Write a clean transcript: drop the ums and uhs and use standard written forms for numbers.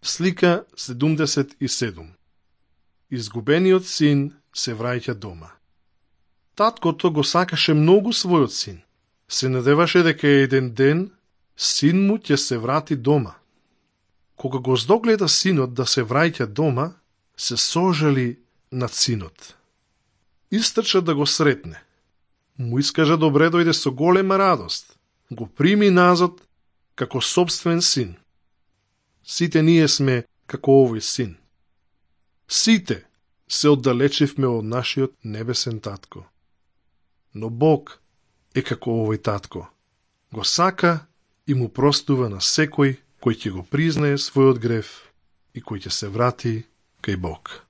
Слика 77. Изгубениот син се враќа дома. Таткото го сакаше многу својот син. Се надеваше дека еден ден син му ќе се врати дома. Кога го здогледа синот да се враќа дома, се сожали над синот. Истрча да го сретне. Му искажа добре дојде со голема радост. Го прими назад како собствен син. Сите ние сме како овој син. Сите се оддалечивме од нашиот небесен татко. Но Бог е како овој татко. Го сака и му простува на секој кој ќе го признае својот грев и кој ќе се врати кај Бог.